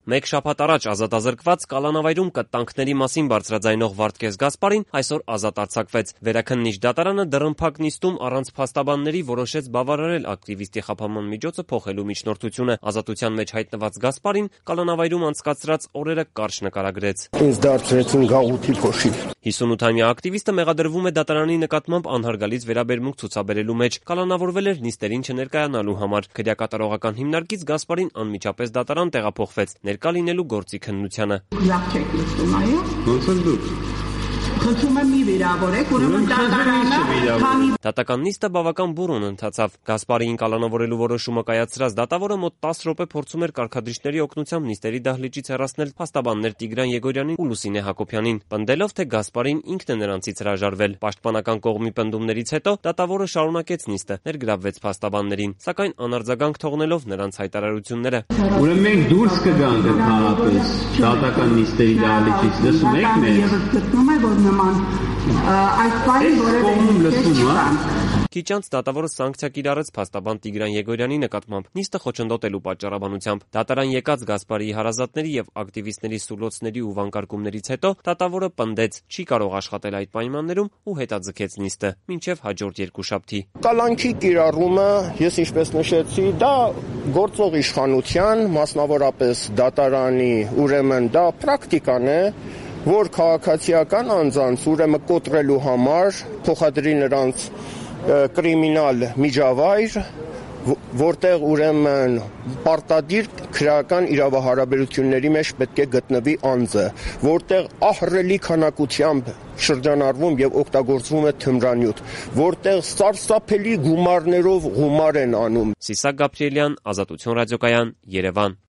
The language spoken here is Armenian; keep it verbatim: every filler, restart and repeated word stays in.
Մեկ շաբաթ առաջ ազատազրկված Կալանավայրում կտանքների մասին բարձրաձայնող Վարդգես Գասպարին այսօր ազատ արձակվեց։ Վերաքննիչ դատարանը դռնփակ նիստում առանց փաստաբանների որոշեց բավարարել ակտիվիստի խաբանման միջոցը փոխելու միջնորդությունը։ Ազատության մեջ հայտնված Գասպարին Կալանավայրում անցկացրած օրերը կարճ նկարագրեց։ Ինձ դարձրեցին գաղութի փոշի։ հիսունութամյա ակտիվիստը մեղադրվում է դատարանի նկատմամբ անհարգալից վերաբերմունք ցուցաբերելու մեջ։ Կալանավորվել էր նիստերին չներկայանալու համար։ Քրեակատարողական հիմնարկից Գասպարին անմիջապես դատարան տեղափոխվեց ներկա լինելու գործի քննությանը։ Խնդրում եմ մի վիրավորեք, ուրեմն դատարանը Դատական նիստը բավական բուռն ընթացավ։ Գասպարիին կալանավորելու որոշումը կայացրած դատավորը մոտ տասը րոպե փորձում էր կարգադրիչների օգնությամբ նիստերի դահլիճից հեռացնել փաստաբաններ Տիգրան Եգորյանին ու Լուսինե Հակոբյանին, պնդելով, թե Գասպարին ինքն է նրանցից հրաժարվել։ Պաշտպանական կողմի պնդումներից հետո դատավորը շարունակեց նիստը, ներգրավվեց փաստաբաններին, սակայն անարձագանք թողնելով նրանց հայտարարությունները։ Ուրեմն մենք դուրս կգանք ընդհանրապես դատական նիստերի դահլիճից, լսում եք մեզ։ Գտնում է, որ նման այս բանի որևէ Քիչ անց դատավորը սանկցիա կիրառեց փաստաբան Տիգրան Եգորյանի նկատմամբ նիստը խոչընդոտելու պատճառաբանությամբ։ Դատարան եկած Գասպարիի հարազատների եւ ակտիվիստների սուլոցների ու վանկարկումներից հետո դատավորը պնդեց չի կարող աշխատել այդ պայմաններում ու հետաձգեց նիստը մինչեւ հաջորդ երկուշաբթի։ Կալանքի կիրառումը, ես ինչպես նշեցի, դա գործող իշխանության, մասնավորապես դատարանի, ուրեմն դա պրակտիկան է, որ քաղաքացիական անձանց ուրեմն կոտրելու համար փոխադրի նրանց կրիմինալ միջավայր, որտեղ ուրեմն պարտադիր քրեական իրավահարաբերությունների մեջ պետք է գտնվի անձը, որտեղ ահռելի քանակությամբ շրջանառվում եւ օգտագործվում է թմրանյութ, որտեղ սարսափելի գումարներով գումար են անում։ Սիսակ Գաբրիելյան, Ազատություն ռադիոկայան, Երևան։